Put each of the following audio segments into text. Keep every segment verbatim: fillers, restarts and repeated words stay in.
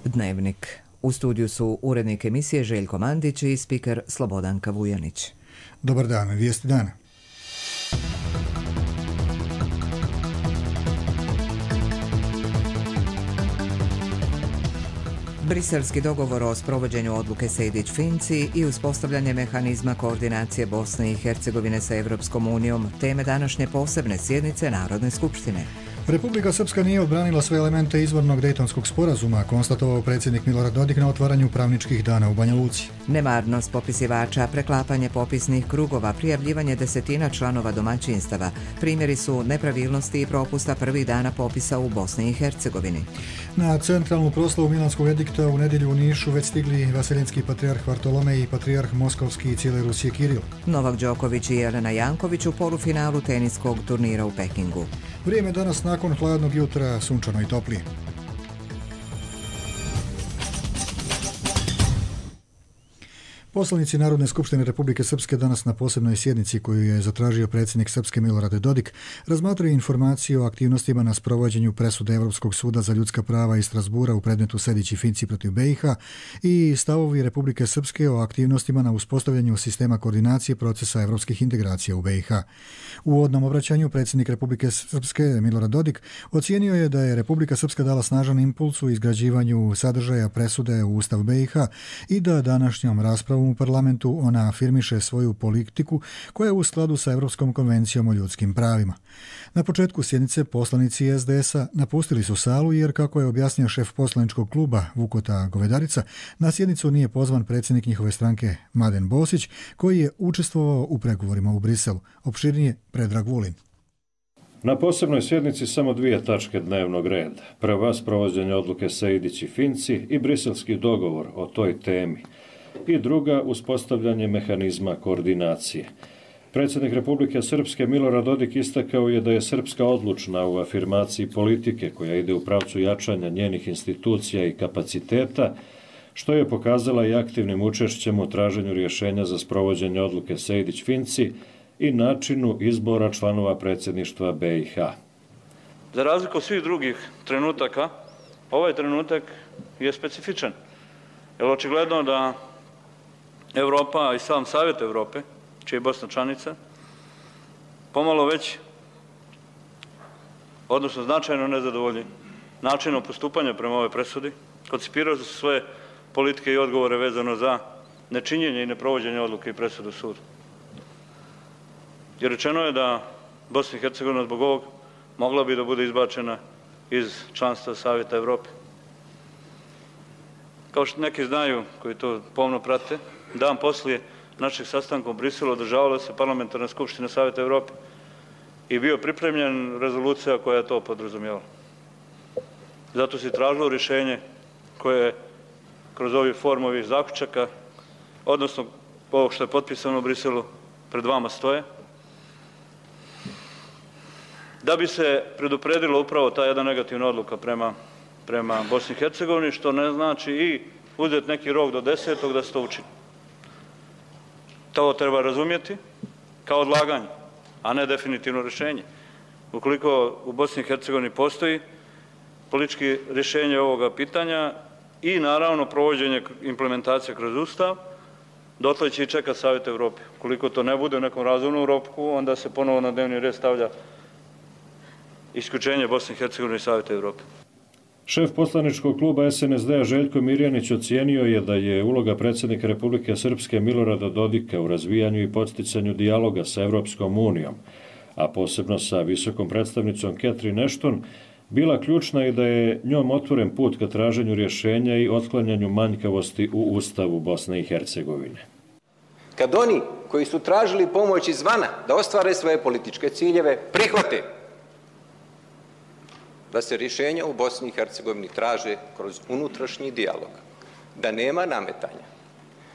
Dnevnik. U studiju su urednik emisije Željko Mandić i spiker Slobodanka Vujanić. Dobar dan, vijesti dana. Briselski dogovor o sprovođenju odluke Sejdić-Finci i uspostavljanje mehanizma koordinacije Bosne i Hercegovine sa Evropskom unijom, teme današnje posebne sjednice Narodne skupštine. Republika Srpska nije odbranila sve elemente izvornog Dejtonskog sporazuma, konstatovao predsjednik Milorad Dodik na otvaranju pravničkih dana u Banja Luci. Nemarnost popisivača, preklapanje popisnih krugova, prijavljivanje desetina članova domaćinstava. Primjeri su nepravilnosti i propusta prvih dana popisa u Bosni i Hercegovini. Na centralnu proslavu Milanskog edikta u nedjelju u Nišu već stigli vaseljenski patrijarh Vartolomej i patrijarh Moskovski i cijele Rusije Kiril. Novak Đoković i Jelena Janković u polufinalu teniskog turnira u Pekingu. Vrijeme danas nakon hladnog jutra sunčano i toplije. Poslanici Narodne skupštine Republike Srpske danas na posebnoj sjednici koju je zatražio predsjednik Srpske Milorad Dodik razmatraju informaciju o aktivnostima na sprovođenju presude Evropskog suda za ljudska prava iz Strasbura u predmetu Sejdić i Finci protiv B i H i stavovi Republike Srpske o aktivnostima na uspostavljanju sistema koordinacije procesa evropskih integracija u B i H. U uvodnom obraćanju predsjednik Republike Srpske Milorad Dodik ocijenio je da je Republika Srpska dala snažan impuls u izgrađivanju sadržaja presude u Ustav B i H i da današnjom raspravom u parlamentu ona afirmiše svoju politiku koja je u skladu sa Evropskom konvencijom o ljudskim pravima. Na početku sjednice poslanici es de es a napustili su salu jer, kako je objasnio šef poslaničkog kluba Vukota Govedarica, na sjednicu nije pozvan predsjednik njihove stranke Mladen Bosić, koji je učestvovao u pregovorima u Briselu. Opširnije Predrag Vulin. Na posebnoj sjednici samo dvije tačke dnevnog reda. Prva, sprovođenje odluke Sejdić i Finci i briselski dogovor o toj temi. I druga, uspostavljanje mehanizma koordinacije. Predsjednik Republike Srpske Milorad Dodik istakao je da je Srpska odlučna u afirmaciji politike koja ide u pravcu jačanja njenih institucija i kapaciteta, što je pokazala i aktivnim učešćem u traženju rješenja za sprovođenje odluke Sejdić-Finci i načinu izbora članova predsjedništva B i H. Za razliku od svih drugih trenutaka, ovaj trenutak je specifičan. Jer očigledno da Evropa i sam Savjet Evrope, čija je Bosna članica, pomalo već, odnosno značajno nezadovoljni načinom postupanja prema ovoj presudi, koncipirali su svoje politike i odgovore vezano za nečinjenje i neprovođenje odluke i presudu suda. Jer rečeno je da Bosna i Hercegovina zbog ovog mogla bi da bude izbačena iz članstva Savjeta Evrope. Kao što neki znaju, koji to pomno prate, dan poslije našeg sastanka u Briselu održavala se parlamentarna skupština Savjeta Evrope i bio pripremljen rezolucija koja je to podrazumijevala. Zato se tražilo rješenje koje kroz ovi formu ovih zaključaka, odnosno ovo što je potpisano u Briselu, pred vama stoje, da bi se predupredilo upravo ta jedna negativna odluka prema, prema Bosni i Hercegovini, što ne znači i uzeti neki rok do desetog da se to učini. To treba razumjeti kao odlaganje, a ne definitivno rješenje. Ukoliko u Bosni i Hercegovini postoji politički rješenje ovoga pitanja i naravno provođenje implementacije kroz Ustav, dotle će i čekati Savjet Evrope. Ukoliko to ne bude u nekom razumnom roku, onda se ponovo na dnevni red stavlja isključenje Bosne i Hercegovine i Savjeta Evrope. Šef poslaničkog kluba es en es de a Željko Mirjanić ocijenio je da je uloga predsjednika Republike Srpske Milorada Dodika u razvijanju i podsticanju dijaloga sa Evropskom unijom, a posebno sa visokom predstavnicom Catherine Ashton, bila ključna i da je njom otvoren put ka traženju rješenja i otklanjanju manjkavosti u Ustavu Bosne i Hercegovine. Kad oni koji su tražili pomoć izvana da ostvare svoje političke ciljeve prihvate da se rješenja u Bosni i Hercegovini traže kroz unutrašnji dijalog, da nema nametanja,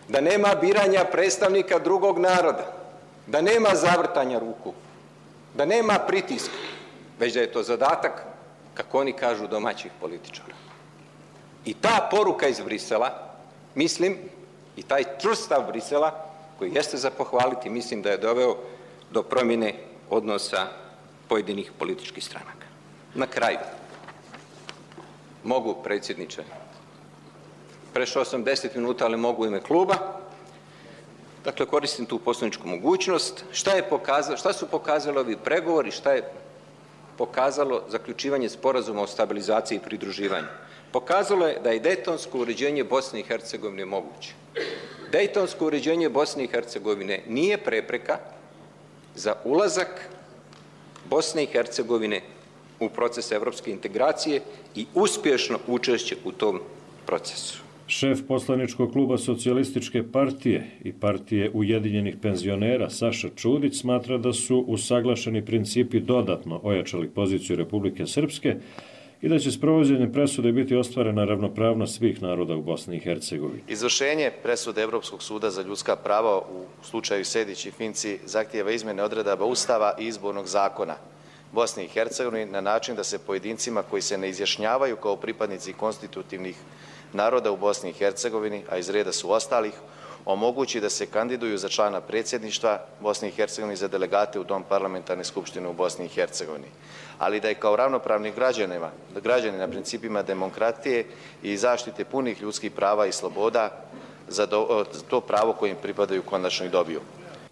da nema biranja predstavnika drugog naroda, da nema zavrtanja ruku, da nema pritiska, već da je to zadatak, kako oni kažu, domaćih političara. I ta poruka iz Brisela, mislim, i taj čvrst stav Brisela, koji jeste za pohvaliti, mislim da je doveo do promjene odnosa pojedinih političkih stranaka. Na kraju, mogu, predsjedniče, Prešao sam deset minuta, ali mogu u ime kluba. Dakle, koristim tu poslovničku mogućnost. Šta je pokazalo, šta su pokazali ovi pregovori, šta je pokazalo zaključivanje sporazuma o stabilizaciji i pridruživanju? Pokazalo je da je dejtonsko uređenje Bosne i Hercegovine moguće. Dejtonsko uređenje Bosne i Hercegovine nije prepreka za ulazak Bosne i Hercegovine u proces evropske integracije i uspješno učešće u tom procesu. Šef poslaničkog kluba Socijalističke partije i partije Ujedinjenih penzionera Saša Čudić smatra da su usaglašeni principi dodatno ojačali poziciju Republike Srpske i da će sprovođenjem presude biti ostvarena ravnopravnost svih naroda u Bosni i Hercegovini. Izvršenje presude Evropskog suda za ljudska prava u slučaju Sejdić i Finci zahtijeva izmjene odredaba Ustava i izbornog zakona Bosne i Hercegovine na način da se pojedincima koji se ne izjašnjavaju kao pripadnici konstitutivnih naroda u Bosni i Hercegovini, a iz reda su ostalih, omogući da se kandiduju za člana predsjedništva Bosne i Hercegovine za delegate u Dom parlamentarne skupštine u Bosni i Hercegovini. Ali da je kao ravnopravnih građanima, građani na principima demokratije i zaštite punih ljudskih prava i sloboda za to pravo kojim pripadaju konačno i dobiju.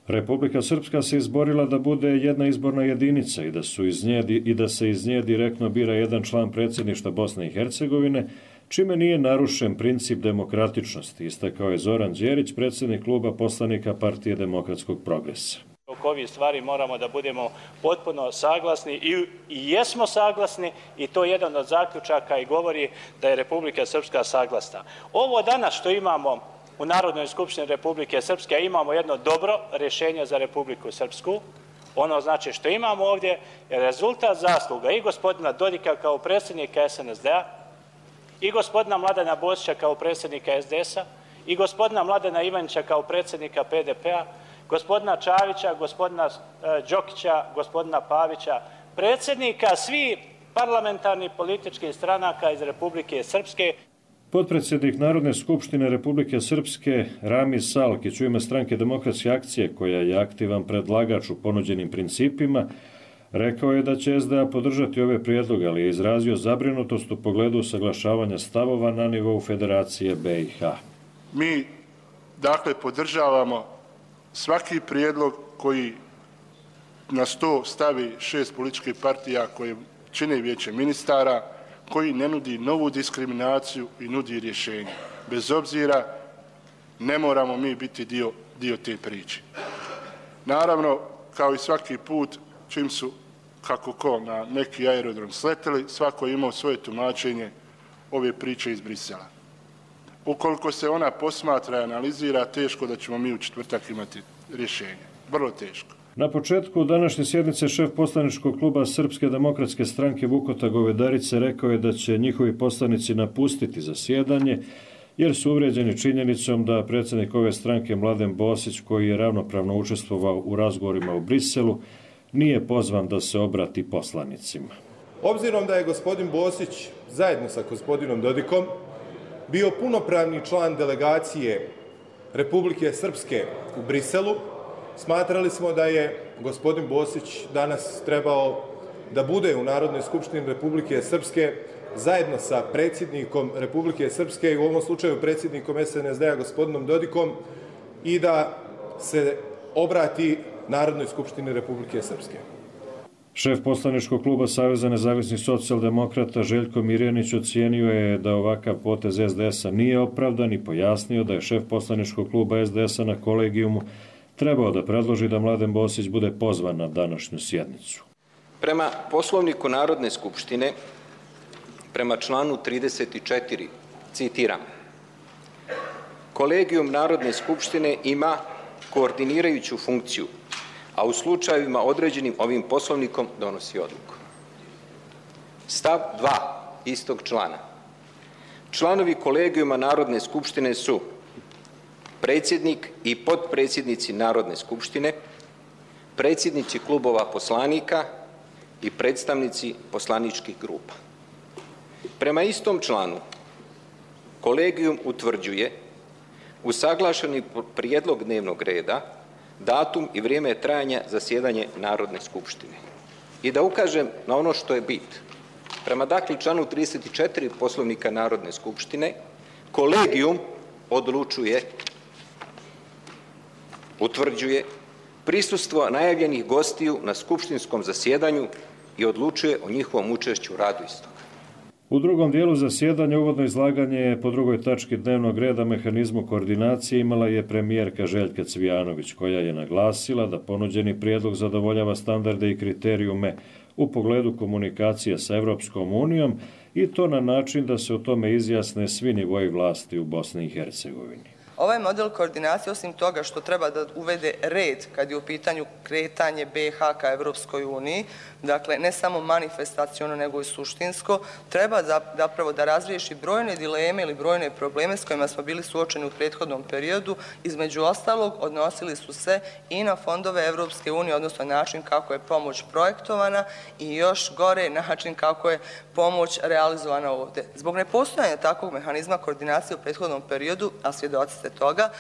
Republika Srpska se izborila da bude jedna izborna jedinica i da, su iz nje, i da se iz nje direktno bira jedan član predsjedništva Bosne i Hercegovine, čime nije narušen princip demokratičnosti, istakao je Zoran Đerić, predsjednik kluba poslanika Partije demokratskog progresa. Oko ovih stvari moramo da budemo potpuno saglasni i, i jesmo saglasni i to je jedan od zaključaka i govori da je Republika Srpska saglasna. Ovo danas što imamo u Narodnoj skupštini Republike Srpske, imamo jedno dobro rješenje za Republiku Srpsku. Ono znači što imamo ovdje je rezultat zasluga i gospodina Dodika kao predsjednika S N S D-a, i gospodina Mladena Bosića kao predsjednika S D S-a, i gospodina Mladena Ivanića kao predsjednika P D P-a, gospodina Čavića, gospodina Đokića, gospodina Pavića, predsjednika svih parlamentarnih političkih stranaka iz Republike Srpske. Potpredsjednik Narodne skupštine Republike Srpske Ramiz Salkić u ime stranke Demokratske akcije, koja je aktivan predlagač u ponuđenim principima, rekao je da će S D A podržati ove prijedloge, ali je izrazio zabrinutost u pogledu usaglašavanja stavova na nivou Federacije B i H. Mi, dakle, podržavamo svaki prijedlog koji na sto stavi šest političkih partija koje čine vijeće ministara, koji ne nudi novu diskriminaciju i nudi rješenje. Bez obzira, ne moramo mi biti dio, dio te priče. Naravno, kao i svaki put, čim su, kako ko, na neki aerodrom sleteli, svako je imao svoje tumačenje ove priče iz Brisela. Ukoliko se ona posmatra i analizira, teško da ćemo mi u četvrtak imati rješenje. Vrlo teško. Na početku današnje sjednice šef poslaničkog kluba Srpske demokratske stranke Vukota Govedarice rekao je da će njihovi poslanici napustiti zasjedanje, jer su uvrijeđeni činjenicom da predsjednik ove stranke Mladen Bosić, koji je ravnopravno učestvovao u razgovorima u Briselu, nije pozvan da se obrati poslanicima. Obzirom da je gospodin Bosić zajedno sa gospodinom Dodikom bio punopravni član delegacije Republike Srpske u Briselu, smatrali smo da je gospodin Bosić danas trebao da bude u Narodnoj skupštini Republike Srpske zajedno sa predsjednikom Republike Srpske i u ovom slučaju predsjednikom S N S D-a gospodinom Dodikom i da se obrati Narodnoj skupštini Republike Srpske. Šef poslaničkog kluba Saveza nezavisnih socijaldemokrata Željko Mirjanić ocijenio je da ovakav potez S D S-a nije opravdan i pojasnio da je šef poslaničkog kluba S D S-a na kolegijumu trebao da predloži da Mladen Bosić bude pozvan na današnju sjednicu. Prema Poslovniku Narodne skupštine, prema članu trideset četiri, citiram, kolegijum Narodne skupštine ima koordinirajuću funkciju, a u slučajevima određenim ovim poslovnikom donosi odluku. Stav dva istog člana. Članovi kolegijuma Narodne skupštine su predsjednik i potpredsjednici Narodne skupštine, predsjednici klubova poslanika i predstavnici poslaničkih grupa. Prema istom članu, kolegijum utvrđuje usaglašeni prijedlog dnevnog reda, datum i vrijeme trajanja zasjedanja Narodne skupštine. I da ukažem na ono što je bit. Prema dakle članu trideset četiri Poslovnika Narodne skupštine, Kolegijum odlučuje, utvrđuje prisustvo najavljenih gostiju na skupštinskom zasjedanju i odlučuje o njihovom učešću u radu istog. U drugom dijelu zasjedanja uvodno izlaganje po drugoj tački dnevnog reda mehanizmu koordinacije imala je premijerka Željka Cvijanović, koja je naglasila da ponuđeni prijedlog zadovoljava standarde i kriterijume u pogledu komunikacije sa Evropskom unijom i to na način da se o tome izjasne svi nivoji vlasti u Bosni i Hercegovini. Ovaj model koordinacije, osim toga što treba da uvede red kad je u pitanju kretanje B i H ka Evropskoj uniji, dakle ne samo manifestaciono nego i suštinsko, treba zapravo da razriješi brojne dileme ili brojne probleme s kojima smo bili suočeni u prethodnom periodu. Između ostalog, odnosili su se i na fondove Evropske unije, odnosno način kako je pomoć projektovana i još gore način kako je pomoć realizovana ovdje. Zbog nepostojanja takvog mehanizma koordinacije u prethodnom periodu, a svjedoci ste toga,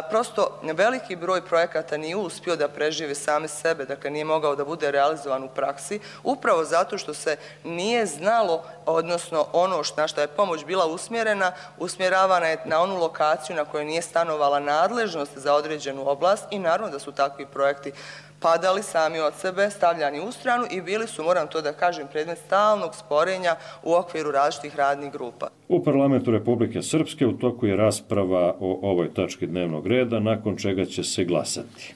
prosto veliki broj projekata nije uspio da preživi same sebe, dakle nije mogao da bude realizovan u praksi, upravo zato što se nije znalo, odnosno ono na što je pomoć bila usmjerena, usmjeravana je na onu lokaciju na kojoj nije stanovala nadležnost za određenu oblast i naravno da su takvi projekti padali sami od sebe, stavljani u stranu i bili su, moram to da kažem, predmet stalnog sporenja u okviru različitih radnih grupa. U Parlamentu Republike Srpske u toku je rasprava o ovoj tački dnevnog reda, nakon čega će se glasati.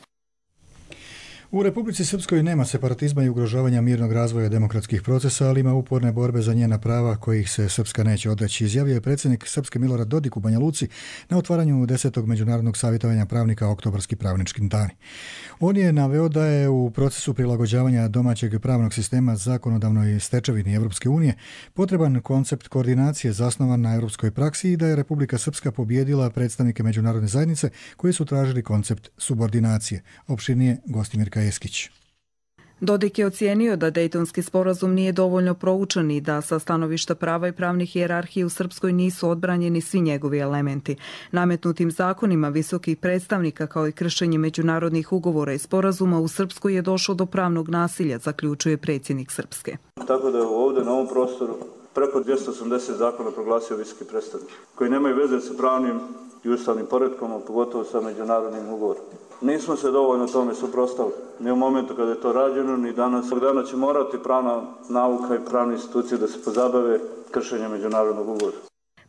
U Republici Srpskoj nema separatizma i ugrožavanja mirnog razvoja demokratskih procesa, ali ima uporne borbe za njena prava kojih se Srpska neće odreći, izjavio je predsjednik Srpske Milorad Dodik u Banja Luci na otvaranju desetog međunarodnog savjetovanja pravnika Oktobarski pravnički dani. On je naveo da je u procesu prilagođavanja domaćeg pravnog sistema zakonodavnoj stečevini Evropske unije potreban koncept koordinacije zasnovan na europskoj praksi i da je Republika Srpska pobijedila predstavnike međunarodne zajednice koji su tražili koncept subordinacije. Opširnije Gostimir Kajeskić. Dodik je ocijenio da Dejtonski sporazum nije dovoljno proučen i da sa stanovišta prava i pravnih hijerarhije u Srpskoj nisu odbranjeni svi njegovi elementi. Nametnutim zakonima visokih predstavnika kao i kršenje međunarodnih ugovora i sporazuma u Srpskoj je došlo do pravnog nasilja, zaključuje predsjednik Srpske. Tako da je ovdje na ovom prostoru preko dvjesto osamdeset zakona proglasio visoki predstavnik, koji nemaju veze sa pravnim i ustavnim poretkom, a pogotovo sa međunarodnim ugovorom. Nismo se dovoljno tome suprotstavili, ni u momentu kada je to rađeno, ni danas. Ovog dana će morati pravna nauka i pravne institucije da se pozabave kršenjem međunarodnog ugovora.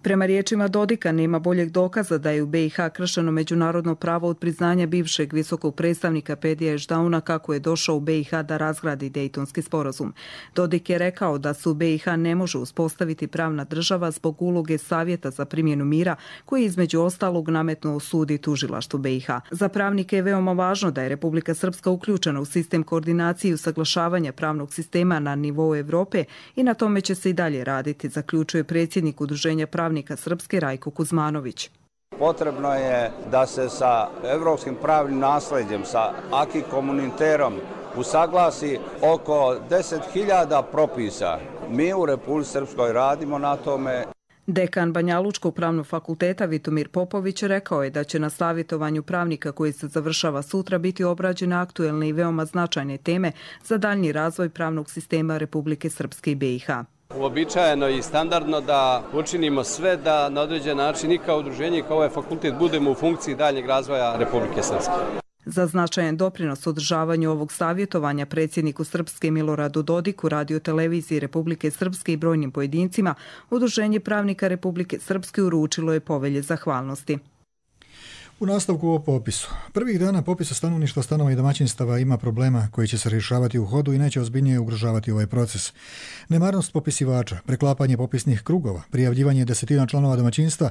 Prema riječima Dodika nema boljeg dokaza da je u B i H kršeno međunarodno pravo od priznanja bivšeg visokog predstavnika Pedija Ešdauna kako je došao u B i H da razgradi Dejtonski sporazum. Dodik je rekao da se u B i H ne može uspostaviti pravna država zbog uloge Savjeta za primjenu mira koji je između ostalog nametnuo sud i tužilaštvo B i H. Za pravnike je veoma važno da je Republika Srpska uključena u sistem koordinacije i usaglašavanja pravnog sistema na nivou Evrope i na tome će se i dalje raditi, zaključuje predsjednik Udruženja pravnika Srpske Rajko Kuzmanović. Potrebno je da se sa evropskim pravnim nasledđem, sa aki komuniterom usaglasi oko deset hiljada propisa. Mi u Republici Srpskoj radimo na tome. Dekan Banjalučkog pravnog fakulteta Vitomir Popović rekao je da će na savjetovanju pravnika koji se završava sutra biti obrađene aktuelne i veoma značajne teme za daljnji razvoj pravnog sistema Republike Srpske i B i H. Uobičajeno i standardno da učinimo sve da na određen način i kao udruženje i kao ovaj fakultet budemo u funkciji daljnjeg razvoja Republike Srpske. Za značajan doprinos održavanju ovog savjetovanja predsjedniku Srpske Miloradu Dodiku, radio televiziji Republike Srpske i brojnim pojedincima, Udruženje pravnika Republike Srpske uručilo je povelje zahvalnosti. U nastavku o popisu. Prvih dana popisa stanovništva, stanova i domaćinstava ima problema koji će se rješavati u hodu i neće ozbiljnije ugrožavati ovaj proces. Nemarnost popisivača, preklapanje popisnih krugova, prijavljivanje desetina članova domaćinstva,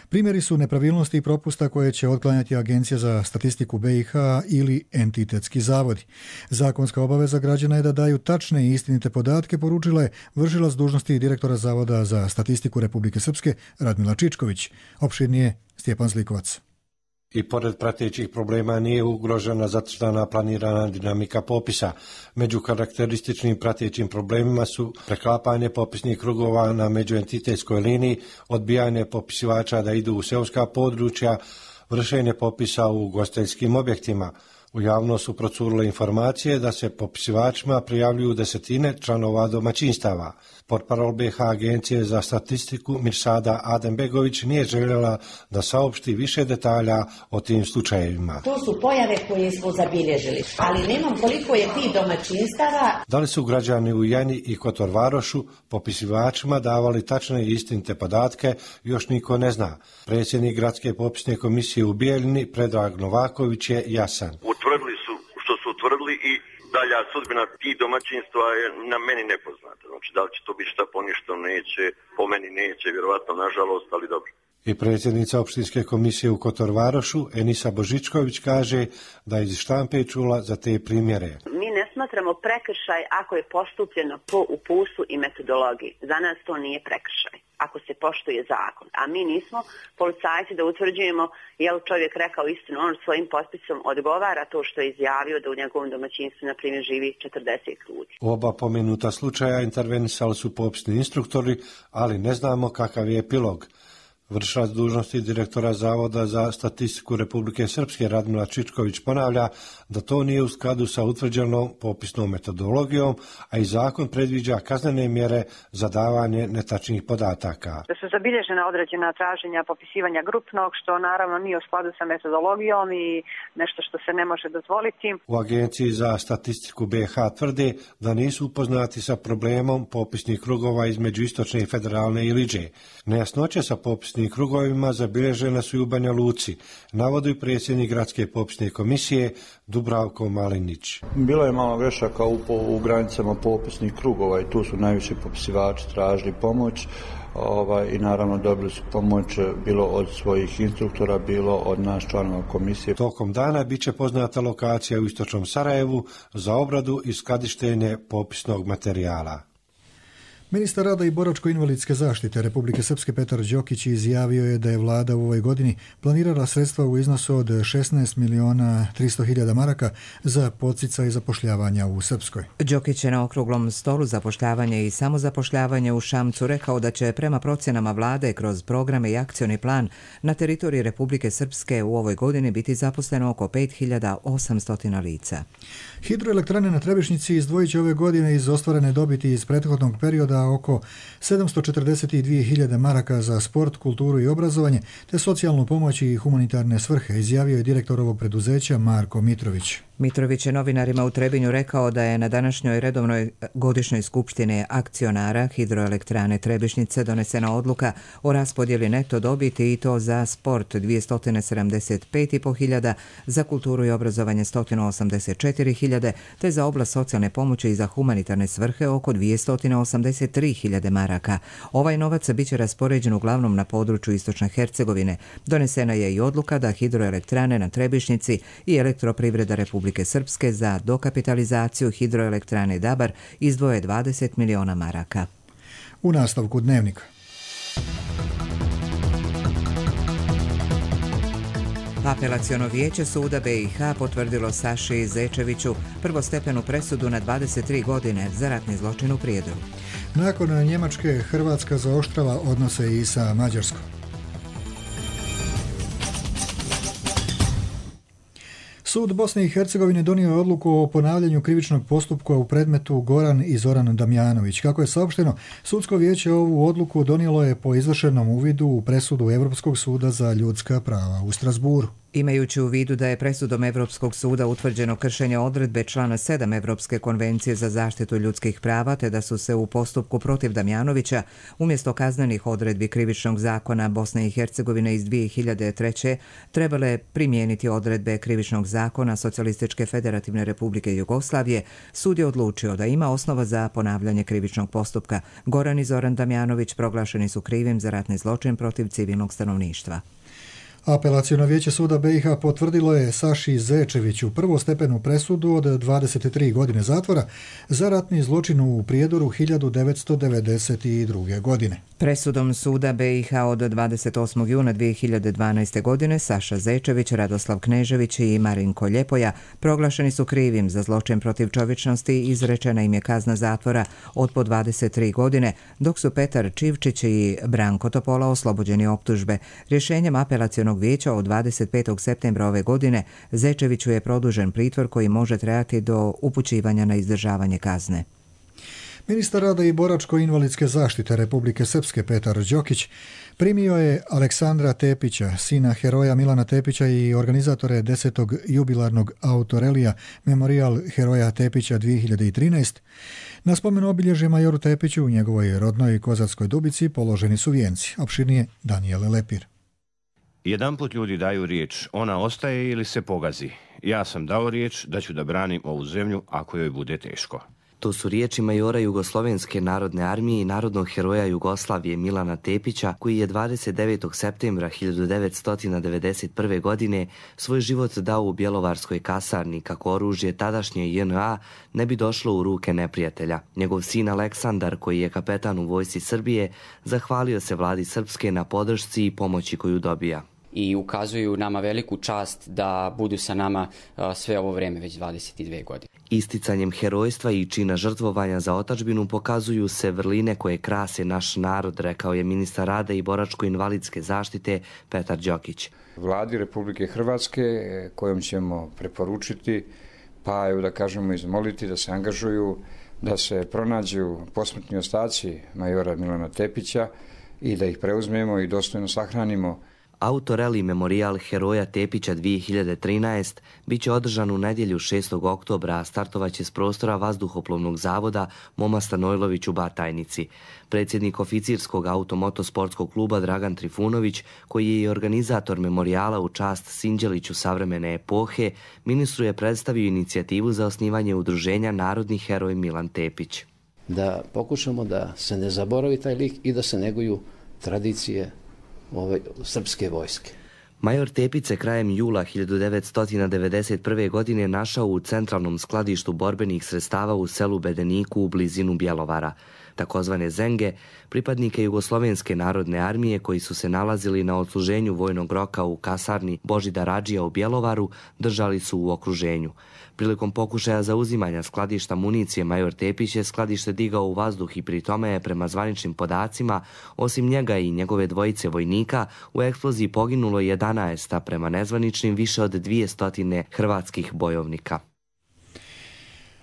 primjeri su nepravilnosti i propusta koje će otklanjati Agencija za statistiku B i H ili entitetski zavodi. Zakonska obaveza građana je da daju tačne i istinite podatke, poručila je vršilac dužnosti direktora Zavoda za statistiku Republike Srpske Radmila Čičković. Opširnije Stjepan Zlikovac. I pored pratećih problema nije ugrožena zacrtana planirana dinamika popisa. Među karakterističnim pratećim problemima su preklapanje popisnih krugova na međuentitetskoj liniji, odbijanje popisivača da idu u seoska područja, vršenje popisa u ugostiteljskim objektima. U javnost su procurile informacije da se popisivačima prijavljuju desetine članova domaćinstava. Portparol B H Agencije za statistiku Mirsada Adembegović nije željela da saopšti više detalja o tim slučajevima. To su pojave koje smo zabilježili, ali nemam koliko je ti domaćinstava. Da li su građani u Janji i Kotorvarošu popisivačima davali tačne i istinite podatke, još niko ne zna. Predsjednik Gradske popisne komisije u Bijeljini, Predrag Novaković, je jasan. Utvrdili su što su utvrdili i dalja sudbina tih domaćinstva je na meni nepoznata. Znači, da li će to biti šta poništo, neće, po meni neće, vjerovatno, nažalost, ali dobro. I predsjednica opštinske komisije u Kotorvarošu, Enisa Božičković, kaže da iz štampe čula za te primjere. Mi ne smatramo prekršaj ako je postupljeno po uputstvu i metodologiji. Za nas to nije prekršaj, ako se poštuje zakon. A mi nismo policajci da utvrđujemo je li čovjek rekao istinu. On svojim potpisom odgovara to što je izjavio da u njegovom domaćinstvu, na primjer, živi četrdeset ljudi. U oba pomenuta slučaja intervenisali su popisni instruktori, ali ne znamo kakav je epilog. Vršilac dužnosti direktora Zavoda za statistiku Republike Srpske Radmila Čičković ponavlja da to nije u skladu sa utvrđenom popisnom metodologijom, a i zakon predviđa kaznene mjere za davanje netačnih podataka. Da su zabilježena određena traženja popisivanja grupnog, što naravno nije u skladu sa metodologijom i nešto što se ne može dozvoliti. U Agenciji za statistiku B H tvrde da nisu upoznati sa problemom popisnih krugova između Istočne i Federalne Iliđe. Nejasnoće sa popisnim krugovima zabilježene su i u Banja Luci, navodi predsjednik Gradske popisne komisije Dubravko Malinić. Bilo je malo grešaka u, u granicama popisnih krugova i tu su najviše popisivači tražili pomoć ovaj, i naravno dobili su pomoć bilo od svojih instruktora, bilo od nas članova komisije. Tokom dana bit će poznata lokacija u Istočnom Sarajevu za obradu i skladištenje popisnog materijala. Ministar rada i boračko-invalidske zaštite Republike Srpske Petar Đokić izjavio je da je vlada u ovoj godini planirala sredstva u iznosu od šesnaest miliona tristo hiljada maraka za podsticaj zapošljavanja u Srpskoj. Đokić je na okruglom stolu zapošljavanje i samozapošljavanje u Šamcu rekao da će prema procjenama vlade kroz programe i akcioni plan na teritoriji Republike Srpske u ovoj godini biti zaposleno oko pet hiljada osamsto lica. Hidroelektrane na Trebišnjici izdvojit će ove godine iz ostvarene dobiti iz prethodnog perioda oko sedamsto četrdeset dvije hiljade maraka za sport, kulturu i obrazovanje, te socijalnu pomoć i humanitarne svrhe, izjavio je direktor ovog preduzeća Marko Mitrović. Mitrović je novinarima u Trebinju rekao da je na današnjoj redovnoj godišnjoj skupštini akcionara Hidroelektrane Trebišnjice donesena odluka o raspodjeli neto dobiti i to za sport dvjesto sedamdeset pet i po hiljada, za kulturu i obrazovanje sto osamdeset četiri hiljade, te za oblast socijalne pomoći i za humanitarne svrhe oko dvjesto osamdeset tri hiljade maraka. Ovaj novac biće raspoređen uglavnom na području Istočne Hercegovine. Donesena je i odluka da Hidroelektrane na Trebišnjici i Elektroprivreda Republike Srpske za dokapitalizaciju Hidroelektrane Dabar izdvoje dvadeset miliona maraka. U nastavku dnevnika. Apelaciono vijeće suda B i H potvrdilo Saši Zečeviću prvostepenu presudu na dvadeset tri godine za ratni zločin u Prijedoru. Nakon Njemačke, Hrvatska zaoštrava odnose i sa Mađarskom. Sud Bosne i Hercegovine donio je odluku o ponavljanju krivičnog postupka u predmetu Goran i Zoran Damjanović. Kako je saopšteno, sudsko vijeće ovu odluku donijelo je po izvršenom uvidu u presudu Evropskog suda za ljudska prava u Strasburu. Imajući u vidu da je presudom Evropskog suda utvrđeno kršenje odredbe člana sedam Evropske konvencije za zaštitu ljudskih prava, te da su se u postupku protiv Damjanovića umjesto kaznenih odredbi krivičnog zakona Bosne i Hercegovine iz dvije hiljade treće trebale primijeniti odredbe krivičnog zakona Socijalističke federativne republike Jugoslavije, sud je odlučio da ima osnova za ponavljanje krivičnog postupka. Goran i Zoran Damjanović proglašeni su krivim za ratni zločin protiv civilnog stanovništva. Apelaciono vijeće suda B i H potvrdilo je Saši Zečeviću prvostepenu presudu od dvadeset tri godine zatvora za ratni zločin u Prijedoru hiljadu devetsto devedeset druge. godine. Presudom suda B i H od dvadeset osmog juna dvije hiljade dvanaeste. godine Saša Zečević, Radoslav Knežević i Marinko Ljepoja proglašeni su krivim za zločin protiv čovječnosti i izrečena im je kazna zatvora od po dvadeset tri godine, dok su Petar Čivčić i Branko Topola oslobođeni optužbe. Rješenjem apelacionog Upravnog vijeća od dvadeset petog septembra ove godine Zečeviću je produžen pritvor koji može trajati do upućivanja na izdržavanje kazne. Ministar rada i boračko-invalidske zaštite Republike Srpske Petar Đokić primio je Aleksandra Tepića, sina heroja Milana Tepića i organizatore desetog jubilarnog autorelija Memorijal heroja Tepića dvije hiljade trinaeste. Na spomen obilježje majoru Tepiću u njegovoj rodnoj Kozarskoj Dubici položeni su vijenci. Opširnije Danijele Lepir. Jedan put ljudi daju riječ, ona ostaje ili se pogazi. Ja sam dao riječ da ću da branim ovu zemlju ako joj bude teško. To su riječi majora Jugoslovenske narodne armije i narodnog heroja Jugoslavije Milana Tepića, koji je dvadeset devetog septembra hiljadu devetsto devedeset prve. godine svoj život dao u Bjelovarskoj kasarni kako oružje tadašnje J N A ne bi došlo u ruke neprijatelja. Njegov sin Aleksandar, koji je kapetan u vojsci Srbije, zahvalio se vladi Srpske na podršci i pomoći koju dobija. I ukazuju nama veliku čast da budu sa nama sve ovo vreme, već dvadeset dvije godine. Isticanjem herojstva i čina žrtvovanja za otadžbinu pokazuju se vrline koje krase naš narod, rekao je ministar rada i boračko-invalidske zaštite Petar Đokić. Vladi Republike Hrvatske kojom ćemo preporučiti, pa evo da kažemo izmoliti da se angažuju, da se pronađu posmrtni ostaci majora Milana Tepića i da ih preuzmemo i dostojno sahranimo. Autoreli Memorijal heroja Tepića dvije hiljade trinaeste bit će održan u nedjelju šestog oktobra, a startovaće s prostora Vazduhoplovnog zavoda Moma Stanojlović u Batajnici. Predsjednik oficirskog automotosportskog kluba Dragan Trifunović, koji je i organizator memorijala u čast Sinđeliću savremene epohe, ministru je predstavio inicijativu za osnivanje udruženja Narodni heroj Milan Tepić. Da pokušamo da se ne zaboravi taj lik i da se neguju tradicije ove srpske vojske. Major Tepić se krajem jula hiljadu devetsto devedeset prve. godine našao u centralnom skladištu borbenih sredstava u selu Bedeniku u blizinu Bjelovara. Takozvane zenge, pripadnike Jugoslovenske narodne armije koji su se nalazili na odsluženju vojnog roka u kasarni Božidar Adžija u Bjelovaru, držali su u okruženju. Prilikom pokušaja zauzimanja skladišta municije major Tepić je skladište digao u vazduh i pri tome je prema zvaničnim podacima, osim njega i njegove dvojice vojnika, u eksploziji poginulo jedanaest, a prema nezvaničnim više od dvjesto hrvatskih bojovnika.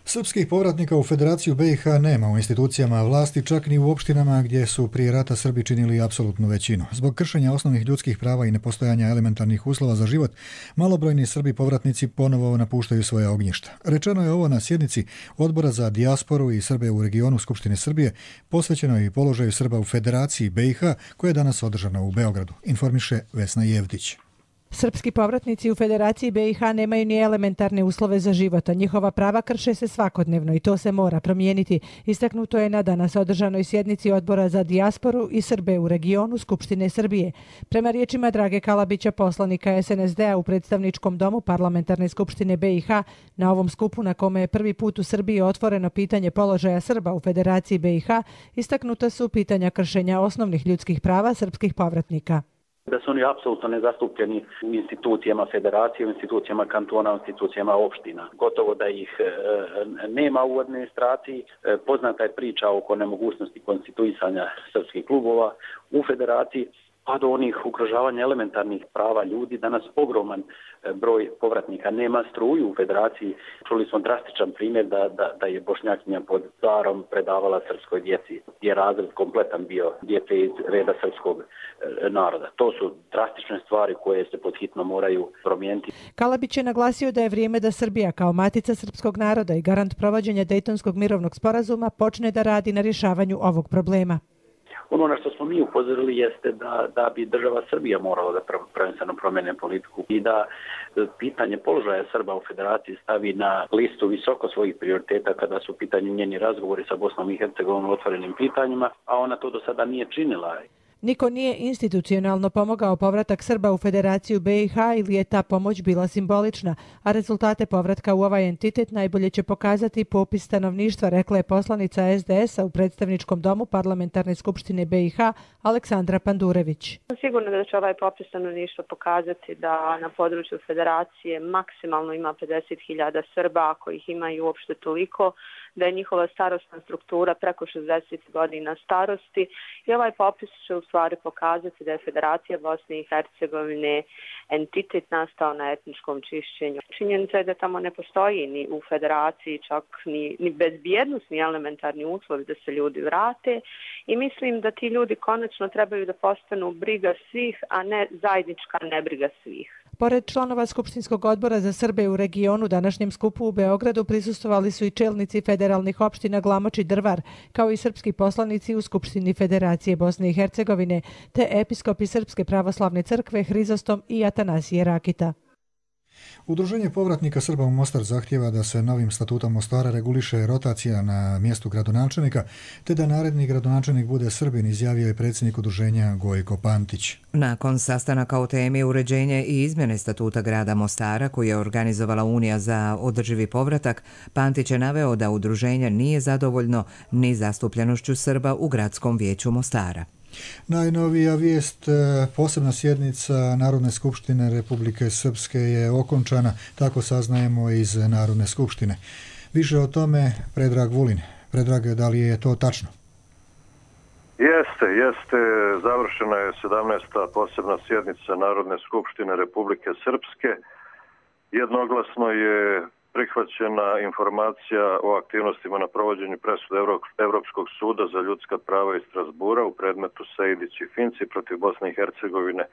Srpskih povratnika u Federaciju B i H nema u institucijama vlasti, čak ni u opštinama gdje su prije rata Srbi činili apsolutnu većinu. Zbog kršenja osnovnih ljudskih prava i nepostojanja elementarnih uslova za život, malobrojni Srbi povratnici ponovo napuštaju svoje ognjišta. Rečeno je ovo na sjednici Odbora za dijasporu i Srbe u regionu Skupštine Srbije, posvećeno i položaju Srba u Federaciji B i H, koja je danas održana u Beogradu, informiše Vesna Jevdić. Srpski povratnici u Federaciji B i H nemaju ni elementarne uslove za život, a njihova prava krše se svakodnevno i to se mora promijeniti. Istaknuto je na danas održanoj sjednici Odbora za dijasporu i Srbe u regionu Skupštine Srbije. Prema riječima Drage Kalabića, poslanika S N S D-a u predstavničkom domu Parlamentarne skupštine B i H, na ovom skupu na kome je prvi put u Srbiji otvoreno pitanje položaja Srba u Federaciji B i H, istaknuta su pitanja kršenja osnovnih ljudskih prava srpskih povratnika. Da su oni apsolutno nezastupljeni u institucijama federacije, u institucijama kantona, u institucijama opština. Gotovo da ih e, nema u administraciji. E, poznata je priča oko nemogućnosti konstituisanja srpskih klubova u federaciji, pa do onih ugrožavanja elementarnih prava ljudi. Danas ogroman broj povratnika nema struju u federaciji. Čuli smo drastičan primjer da, da, da je Bošnjakinja pod carom predavala srpskoj djeci, gdje je razred kompletan bio djece iz reda srpskog naroda. To su drastične stvari koje se podhitno moraju promijeniti. Kalabić je naglasio da je vrijeme da Srbija kao matica srpskog naroda i garant provođenja Dejtonskog mirovnog sporazuma počne da radi na rješavanju ovog problema. Ono na što smo mi upozorili jeste da, da bi država Srbija morala da prvenstveno promene politiku i da pitanje položaja Srba u federaciji stavi na listu visoko svojih prioriteta kada su u pitanju njeni razgovori sa Bosnom i Hercegovinom o otvorenim pitanjima, a ona to do sada nije činila. Niko nije institucionalno pomogao povratak Srba u Federaciju B i H ili je ta pomoć bila simbolična, a rezultate povratka u ovaj entitet najbolje će pokazati popis stanovništva, rekla je poslanica S D S-a u predstavničkom domu Parlamentarne skupštine B i H Aleksandra Pandurević. Sigurno da će ovaj popis stanovništva pokazati da na području Federacije maksimalno ima pedeset hiljada Srba, ako ih ima i uopšte toliko. da je njihova starosna struktura preko šezdeset godina starosti i ovaj popis će u stvari pokazati da je Federacija Bosne i Hercegovine entitet nastao na etničkom čišćenju. Činjenica je da tamo ne postoji ni u Federaciji čak ni, ni bezbjednosni elementarni uslovi da se ljudi vrate i mislim da ti ljudi konačno trebaju da postanu briga svih, a ne zajednička nebriga svih. Pored članova Skupštinskog odbora za Srbe u regionu, današnjem skupu u Beogradu prisustvovali su i čelnici federalnih opština Glamoč i Drvar, kao i srpski poslanici u Skupštini Federacije Bosne i Hercegovine, te episkopi Srpske pravoslavne crkve Hrizostom i Atanasije Rakita. Udruženje povratnika Srba u Mostar zahtjeva da se novim statutom Mostara reguliše rotacija na mjestu gradonačelnika, te da naredni gradonačelnik bude Srbin, izjavio je predsjednik udruženja Gojko Pantić. Nakon sastanaka o temi uređenje i izmjene statuta grada Mostara, koju je organizovala Unija za održivi povratak, Pantić je naveo da udruženje nije zadovoljno ni zastupljenošću Srba u gradskom vijeću Mostara. Najnovija vijest, posebna sjednica Narodne skupštine Republike Srpske je okončana, tako saznajemo iz Narodne skupštine. Više o tome Predrag Vulin. Predrag, da li je to tačno? Jeste, jeste. Završena je sedamnaesta posebna sjednica Narodne skupštine Republike Srpske. Jednoglasno je prihvaćena informacija o aktivnostima na provođenju presude Evropskog suda za ljudska prava iz Strasbura u predmetu Sejdić i Finci protiv Bosne i Hercegovine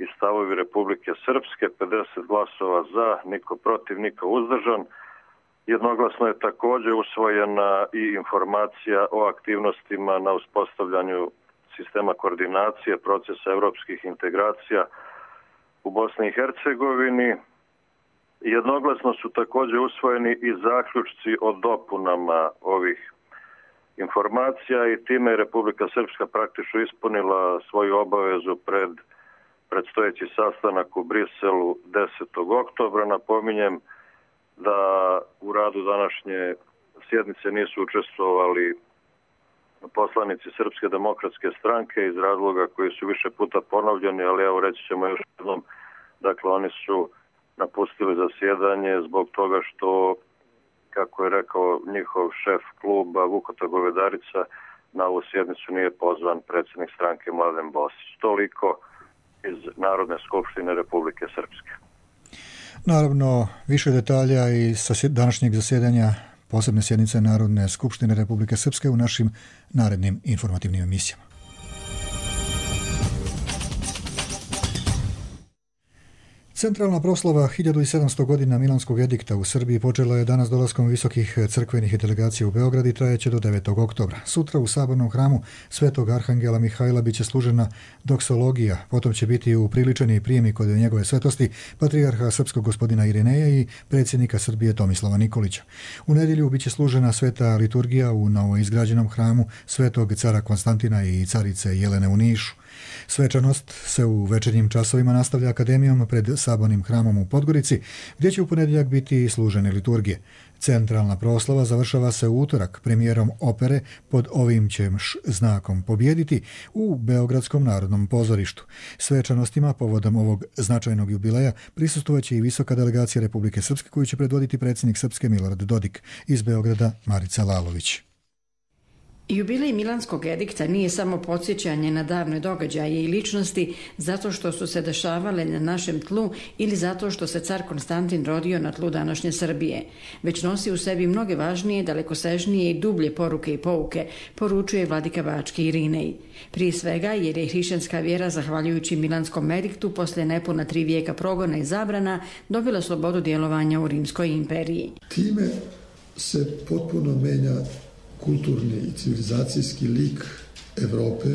i stavovi Republike Srpske, pedeset glasova za, niko protiv, niko uzdržan. Jednoglasno je također usvojena i informacija o aktivnostima na uspostavljanju sistema koordinacije procesa evropskih integracija u Bosni i Hercegovini. Jednoglasno su također usvojeni i zaključci o dopunama ovih informacija i time je Republika Srpska praktično ispunila svoju obavezu pred predstojeći sastanak u Briselu desetog oktobra. Napominjem da u radu današnje sjednice nisu učestvovali poslanici Srpske demokratske stranke iz razloga koji su više puta ponovljeni, ali evo reći ćemo još jednom, dakle oni su napustili zasjedanje zbog toga što, kako je rekao njihov šef kluba Vukota Govedarica, na ovu sjednicu nije pozvan predsjednik stranke Mladen Bosić. Toliko iz Narodne skupštine Republike Srpske. Naravno, više detalja i sa današnjeg zasjedanja posebne sjednice Narodne skupštine Republike Srpske u našim narednim informativnim emisijama. Centralna proslava hiljadu sedamsto godina Milanskog edikta u Srbiji počela je danas dolaskom visokih crkvenih delegacija u Beograd i trajeće do devetog oktobra. Sutra u Sabornom hramu Svetog Arhangela Mihajla biće služena doksologija, potom će biti upriličeni prijemi kod njegove svetosti patrijarha srpskog gospodina Irineja i predsjednika Srbije Tomislava Nikolića. U nedjelju biće služena sveta liturgija u novoizgrađenom hramu Svetog cara Konstantina i carice Jelene u Nišu. Svečanost se u večernjim časovima nastavlja akademijom pred Sabornim hramom u Podgorici, gdje će u ponedjeljak biti služene liturgije. Centralna proslava završava se u utorak premijerom opere Pod ovim ćeš znakom pobijediti u Beogradskom narodnom pozorištu. Svečanostima povodom ovog značajnog jubileja prisustvovaće i visoka delegacija Republike Srpske koju će predvoditi predsjednik Srpske Milorad Dodik, iz Beograda Marica Lalović. Jubilej Milanskog edikta nije samo podsjećanje na davne događaje i ličnosti zato što su se dešavale na našem tlu ili zato što se car Konstantin rodio na tlu današnje Srbije, već nosi u sebi mnoge važnije, dalekosežnije i dublje poruke i pouke, poručuje vladika Bački Irinej. Prije svega jer je hrišćanska vjera, zahvaljujući Milanskom ediktu, poslije nepuna tri vijeka progona i zabrana, dobila slobodu djelovanja u Rimskoj imperiji. Time se potpuno menja kulturni i civilizacijski lik Evrope.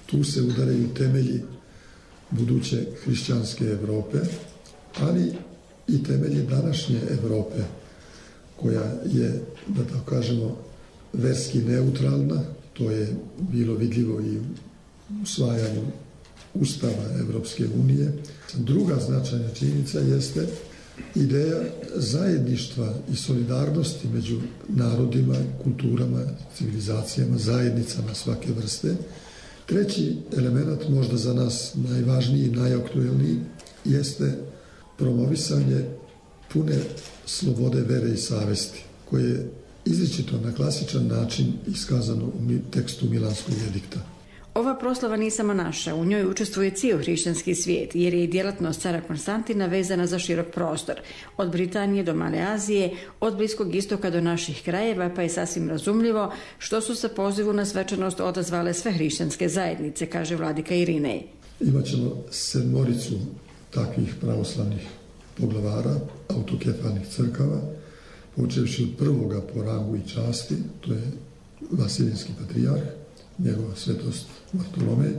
Tu se udaraju temelji buduće hrišćanske Evrope, ali i temelji današnje Evrope, koja je, da tako kažemo, verski neutralna. To je bilo vidljivo i u usvajanju Ustava Evropske unije. Druga značajna činjenica jeste ideja zajedništva i solidarnosti među narodima, kulturama, civilizacijama, zajednicama svake vrste. Treći element, možda za nas najvažniji i najaktuelniji, jeste promovisanje pune slobode vere i savesti, koje izričito na klasičan način iskazano u tekstu Milanskog edikta. Ova proslava nije samo naša, u njoj učestvuje cijel hrišćanski svijet, jer je i djelatnost cara Konstantina vezana za širok prostor, od Britanije do Male Azije, od Bliskog istoka do naših krajeva, pa je sasvim razumljivo što su se pozivu na svečanost odazvale sve hrišćanske zajednice, kaže vladika Irinej. Imaćemo sedmoricu takvih pravoslavnih poglavara, autokefalnih crkava, počevši od prvoga po rangu i časti, to je Vasilijski patrijarh, njegova svetost Bartolomej,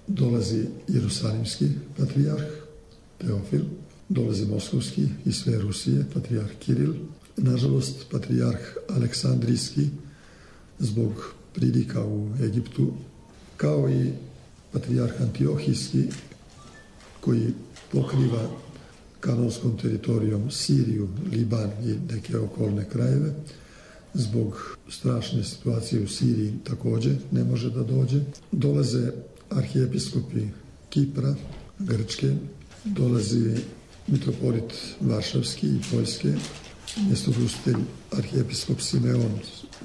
dolazi Jerusalimski patrijarh Teofil, dolazi Moskovski i sve Rusije, patrijarh Kiril, nažalost patrijarh Aleksandrijski zbog pridika u Egiptu, kao i patrijarh Antiohijski koji pokriva kanonskom teritorijom Siriju, Liban i neke okolne krajeve. Zbog strašne situacije u Siriji također ne može da dođe. Dolaze arhijepiskopi Kipra, Grčke, dolazi mitropolit Varšavski i Poljske, mjestogostitelj arhijepiskop Simeon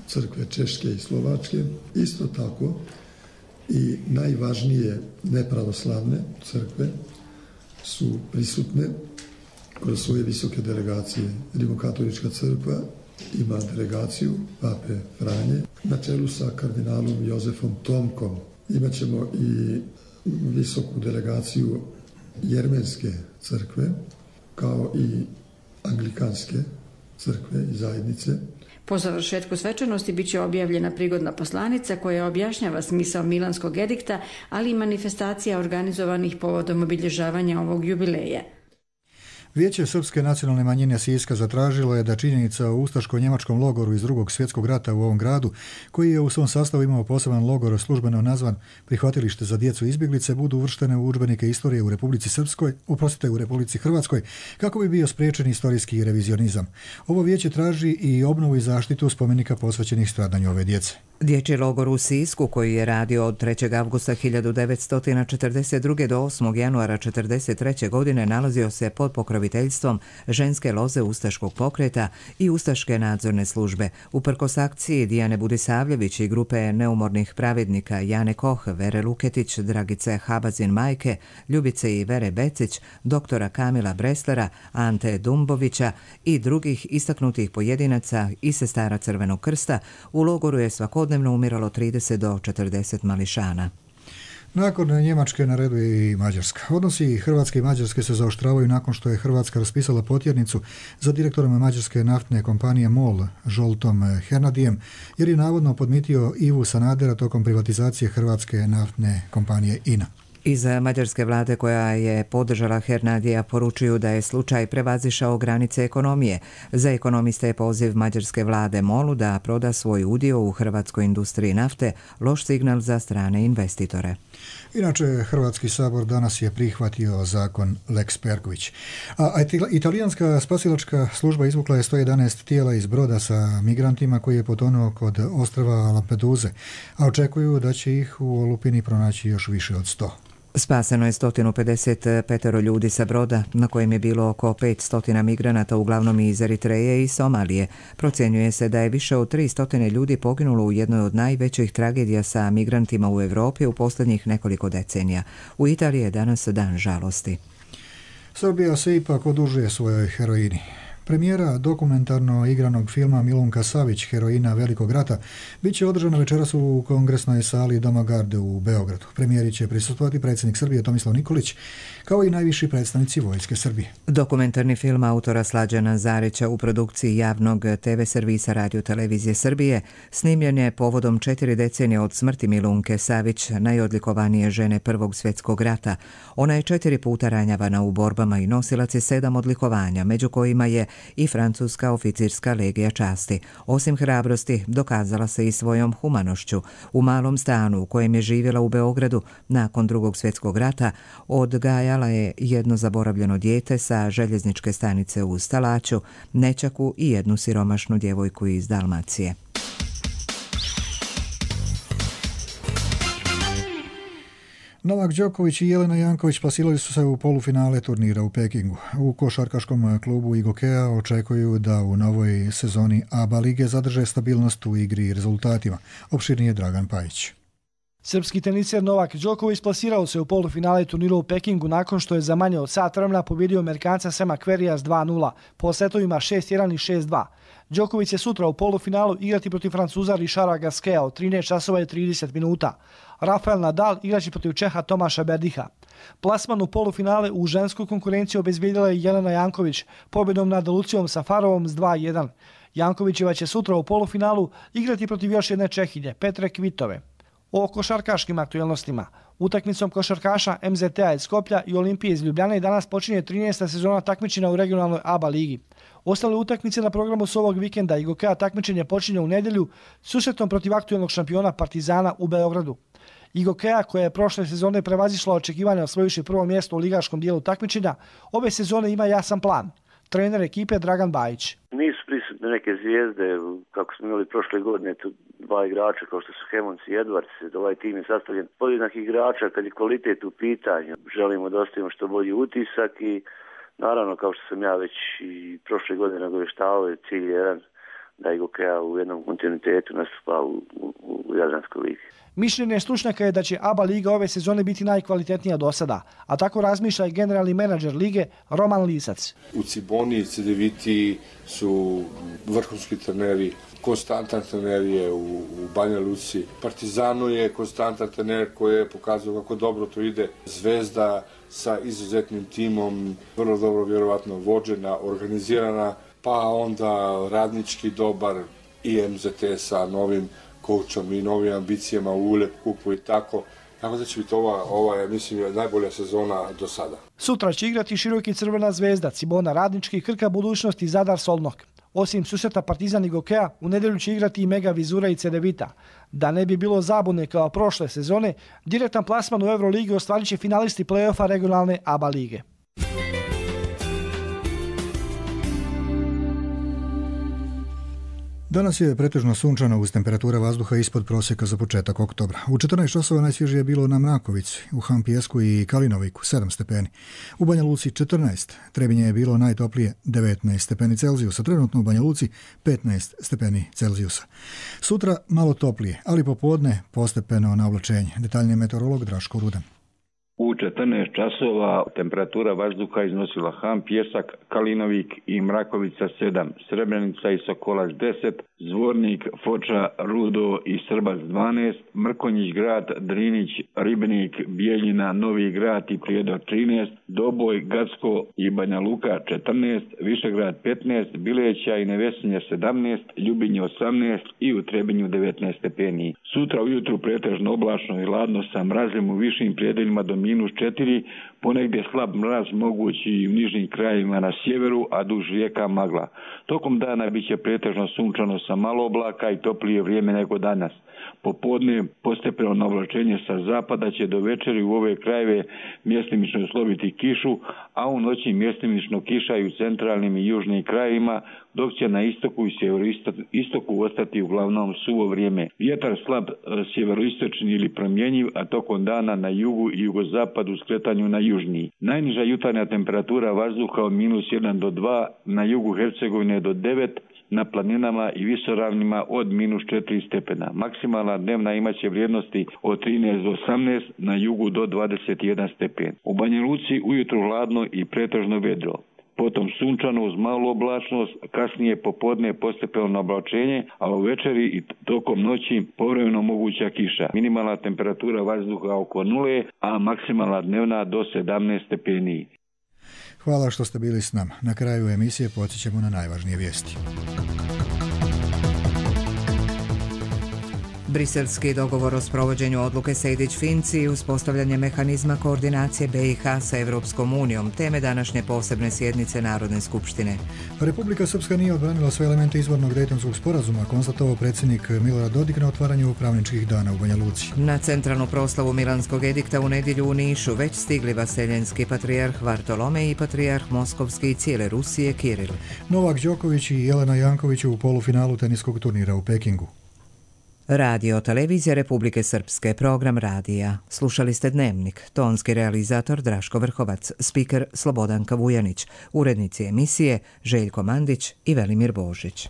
crkve Češke i Slovačke. Isto tako i najvažnije nepravoslavne crkve su prisutne kroz svoje visoke delegacije. Rimokatolička crkva ima delegaciju pape Franje na čelu sa kardinalom Jozefom Tomkom. Imaćemo i visoku delegaciju Jermenske crkve, kao i anglikanske crkve i zajednice. Po završetku svečanosti bit će objavljena prigodna poslanica koja objašnjava smisao Milanskog edikta, ali i manifestacija organizovanih povodom obilježavanja ovog jubileja. Vijeće Srpske nacionalne manjine Siska zatražilo je da činjenica o ustaško-njemačkom logoru iz drugog svjetskog rata u ovom gradu, koji je u svom sastavu imao poseban logor službeno nazvan prihvatilište za djecu izbjeglice, budu uvrštene u udžbenike istorije u Republici Srpskoj, oprostite u Republici Hrvatskoj, kako bi bio spriječen istorijski revizionizam. Ovo vijeće traži i obnovu i zaštitu spomenika posvećenih stradanju ove djece. Dječji logor u Sisku, koji je radio od trećeg avgusta hiljadu devetsto četrdeset druge do osmog januara četrdeset treće godine, nalazio se pod pokroviteljstvom ženske loze ustaškog pokreta i ustaške nadzorne službe. Uprkos akciji Dijane Budisavljević i grupe neumornih pravednika Jane Koh, Vere Luketić, Dragice Habazin Majke, Ljubice i Vere Becić, doktora Kamila Breslera, Ante Dumbovića i drugih istaknutih pojedinaca i sestara Crvenog krsta, u logoru je svakodnevno umiralo trideset do četrdeset mališana. Nakon Njemačke na redu je i Mađarska. Odnosi Hrvatske i Mađarske se zaoštravaju nakon što je Hrvatska raspisala potjernicu za direktorom mađarske naftne kompanije MOL, Žoltom Hernadijem, jer je navodno podmitio Ivu Sanadera tokom privatizacije hrvatske naftne kompanije I N A. Iz mađarske vlade, koja je podržala Hernadija, poručuju da je slučaj prevazišao granice ekonomije. Za ekonomiste je poziv mađarske vlade MOL-u da proda svoj udio u hrvatskoj industriji nafte loš signal za strane investitore. Inače, Hrvatski sabor danas je prihvatio zakon Lex Perković. A italijanska spasilačka služba izvukla je sto jedanaest tijela iz broda sa migrantima koji je potonuo kod ostrva Lampeduze, a očekuju da će ih u olupini pronaći još više od sto. Spaseno je sto pedeset pet ljudi sa broda, na kojem je bilo oko petsto migranata, uglavnom iz Eritreje i Somalije. Procjenjuje se da je više od tristo ljudi poginulo u jednoj od najvećih tragedija sa migrantima u Europi u posljednjih nekoliko decenija. U Italiji je danas dan žalosti. Srbija se ipak odužuje svojoj heroini. Premijera dokumentarno igranog filma Milunka Savić, heroina Velikog rata, bit će održana večeras u kongresnoj sali Doma Garde u Beogradu. Premijeri će prisustvovati predsjednik Srbije Tomislav Nikolić, kao i najviši predstavnici Vojske Srbije. Dokumentarni film autora Slađana Zarića u produkciji javnog te ve servisa Radio televizije Srbije snimljen je povodom četiri decenije od smrti Milunke Savić, najodlikovanije žene Prvog svjetskog rata. Ona je četiri puta ranjavana u borbama i nosilac je sedam odlikovanja, među kojima je i francuska oficirska legija časti. Osim hrabrosti, dokazala se i svojom humanošću. U malom stanu u kojem je živjela u Beogradu nakon Drugog svjetskog rata odgajala je jedno zaboravljeno dijete sa željezničke stanice u Stalaću, nećaku i jednu siromašnu djevojku iz Dalmacije. Novak Đoković i Jelena Janković plasirali su se u polufinale turnira u Pekingu. U košarkaškom klubu Igokea očekuju da u novoj sezoni A B A lige zadrže stabilnost u igri i rezultatima. Opširnije Dragan Pajić. Srpski teniser Novak Đoković plasirao se u polufinale turnira u Pekingu nakon što je za manje od sat vremena pobjedio Amerikanca Sema Querreyja s dva nula po setovima šest jedan i šest dva. Đoković će sutra u polufinalu igrati protiv Francuza Richarda Gasqueta od trinaest časova i trideset minuta. Rafael Nadal igraće protiv Čeha Tomaša Berdiha. Plasman u polufinale u žensku konkurenciju obezbijedila je Jelena Janković pobjedom nad Lucijom Safarovom s dva jedan. Jankovićeva će sutra u polufinalu igrati protiv još jedne Čehinje, Petre Kvitove. O košarkaškim aktualnostima. Utakmicom košarkaša M Z T-a iz Skoplja i Olimpije iz Ljubljane danas počinje trinaesta sezona takmičenja u regionalnoj A B A ligi. Ostale utakmice na programu s ovog vikenda Igokea takmičenje počinje u nedjelju susretom protiv aktualnog šampiona Partizana u Beogradu. Igokea, koja je prošle sezone prevazišla očekivanja osvojivši prvo mjesto u ligaškom dijelu takmičenja, ove sezone ima jasan plan. Trener ekipe Dragan Bajić. Nisu prisutne neke zvijezde, kako smo imali prošle godine, tu dva igrača kao što su Hemons i Edwards. Ovaj tim je sastavljen podjednak igrača kad je kvalitet u pitanju. Želimo da ostavimo što bolji utisak i naravno, kao što sam ja već i prošle godine nagoveštavao, je cilj jedan da Igokea u jednom kontinuitetu nastupa u, u, u Jadranskoj ligi. Mišljenje stručnjaka je da će A B A liga ove sezone biti najkvalitetnija do sada, a tako razmišlja i generalni menadžer lige Roman Lisac. U Ciboni i Cedeviti su vrhunski treneri, konstantan trener je u, u Banja Luci. Partizano je konstantan trener koji je pokazao kako dobro to ide. Zvezda sa izuzetnim timom, vrlo dobro vjerovatno vođena, organizirana, pa onda radnički dobar i M Z T sa novim kočom i novim ambicijama u Ulep kupu i tako. Tako da će biti ova, ova je, mislim, najbolja sezona do sada. Sutra će igrati Široki Crvena Zvezda, Cibona Radnički, Krka Budućnost i Zadar Solnok. Osim susreta Partizan i Gokea, u nedjelju će igrati i Mega Vizura i Cedevita. Da ne bi bilo zabune kao prošle sezone, direktan plasman u Euroligi ostvarit će finalisti play-offa regionalne A B A lige. Danas je pretežno sunčano uz temperatura vazduha ispod prosjeka za početak oktobra. U četrnaest časova najsvježije je bilo na Mrakovici, u Hampijesku i Kalinoviku sedam stepeni. U Banja Luci četrnaest, Trebinje je bilo najtoplije devetnaest stepeni Celzijusa, trenutno u Banja Luci petnaest stepeni Celzijusa. Sutra malo toplije, ali popodne postepeno navlačenje. Detaljnije meteorolog Draško Rudan. U četrnaest časova temperatura vazduha iznosila Ham, Pjesak, Kalinovik i Mrakovica sedam, Srebrenica i Sokolac deset, Zvornik, Foča, Rudo i Srbac dvanaest, Mrkonjić grad, Drinić, Ribnik, Bijeljina, Novi grad i Prijedor trinaest, Doboj, Gacko i Banja Luka četrnaest, Višegrad petnaest, Bileća i Nevesinje sedamnaest, Ljubinje osamnaest i u Trebinju devetnaest stepeni. Sutra ujutru pretežno oblačno i ladno sa mrazem u višim prijedeljima do minus četiri, ponegdje slab mraz mogući i u nižnim krajevima na sjeveru, a duž rijeka magla. Tokom dana bit će pretežno sunčano sa malo oblaka i toplije vrijeme nego danas. Popodne postepeno navlačenje sa zapada će do večeri u ove krajeve mjestimično slobiti kišu, a u noći mjestimično kiša i u centralnim i južnim krajevima, dok će na istoku i sjeveroistoku ostati uglavnom suvo vrijeme. Vjetar slab sjeveroistočni ili promjenjiv, a tokom dana na jugu i jugozapadu skretanju na južniji. Najniža jutarnja temperatura vazduha od minus jedan do dva, na jugu Hercegovine do devet, na planinama i visoravnima od minus četiri stepena. Maksimalna dnevna imaće vrijednosti od trinaest do osamnaest, na jugu do dvadeset jedan stepen. U Banja Luci ujutro hladno i pretežno vedro. Potom sunčano uz malu oblačnost, kasnije popodne postepeno oblačenje, a u večeri i tokom noći povremeno moguća kiša. Minimalna temperatura vazduha oko nule, a maksimalna dnevna do sedamnaest stepeni. Hvala što ste bili s nama. Na kraju emisije podsjećamo na najvažnije vijesti. Briselski dogovor o sprovođenju odluke Sejdić-Finci i uspostavljanje mehanizma koordinacije B i H sa Evropskom unijom, teme današnje posebne sjednice Narodne skupštine. Republika Srpska nije odbranila sve elemente izvornog Dejtonskog sporazuma, konstatovao predsjednik Milorad Dodik na otvaranju pravničkih dana u Banja Luci. Na centralnu proslavu Milanskog edikta u nedjelju u Nišu već stigli vaseljenski patrijarh Vartolomej i patrijarh Moskovski i cijele Rusije Kiril. Novak Đoković i Jelena Janković u polufinalu teniskog turnira u Pekingu. Radio Televizija Republike Srpske, program radija. Slušali ste Dnevnik, tonski realizator Draško Vrhovac, spiker Slobodanka Vujanić, urednici emisije Željko Mandić i Velimir Božić.